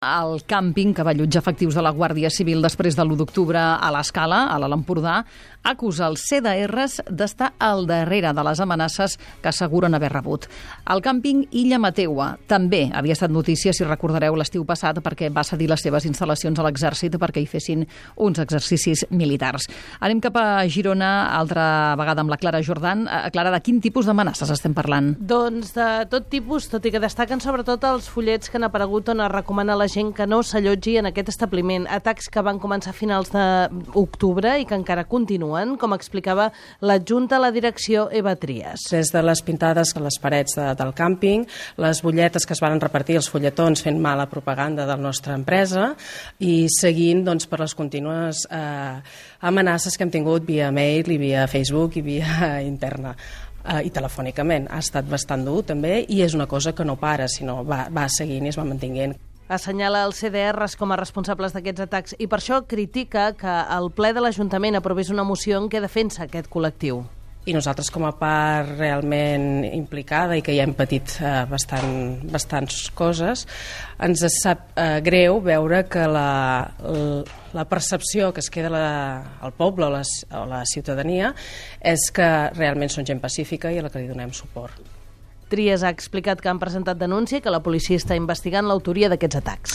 El càmping que va allotjar efectius de la Guàrdia Civil després de l'1 d'octubre a l'Escala, a l'Alt Empordà, acusa els CDRs d'estar al darrere de les amenaces que asseguren haver rebut. El càmping Illa Mateua també havia estat notícia, si recordareu, l'estiu passat, perquè va cedir les seves instal·lacions a l'exèrcit perquè hi fessin uns exercicis militars. Anem cap a Girona, altra vegada amb la Clara Jordan. Clara, de quin tipus d'amenaces estem parlant? Doncs de tot tipus, tot i que destaquen sobretot els fullets que han aparegut on es recomana a la gent que no s'allotgi en aquest establiment. Atacs que van començar a finals d'octubre i que encara continuen, com explicava l'adjunta a la direcció Eva Trias. Des de les pintades a les parets del càmping, les butlletes que es van repartir, els fulletons fent mala propaganda de la nostra empresa i seguint per les contínues amenaces que hem tingut via mail i via Facebook i via interna. I telefònicament. Ha estat bastant dur també i és una cosa que no para, sinó va seguint i es va mantenint. Assenyala els CDRs com a responsables d'aquests atacs i per això critica que el ple de l'Ajuntament aprovés una moció en què defensa aquest col·lectiu. I nosaltres, com a part realment implicada i que ja hem patit bastants coses, ens sap greu veure que la percepció que es queda al poble o la ciutadania és que realment són gent pacífica i a la que li donem suport. Trias ha explicat que han presentat denúncia i que la policia està investigant l'autoria d'aquests atacs.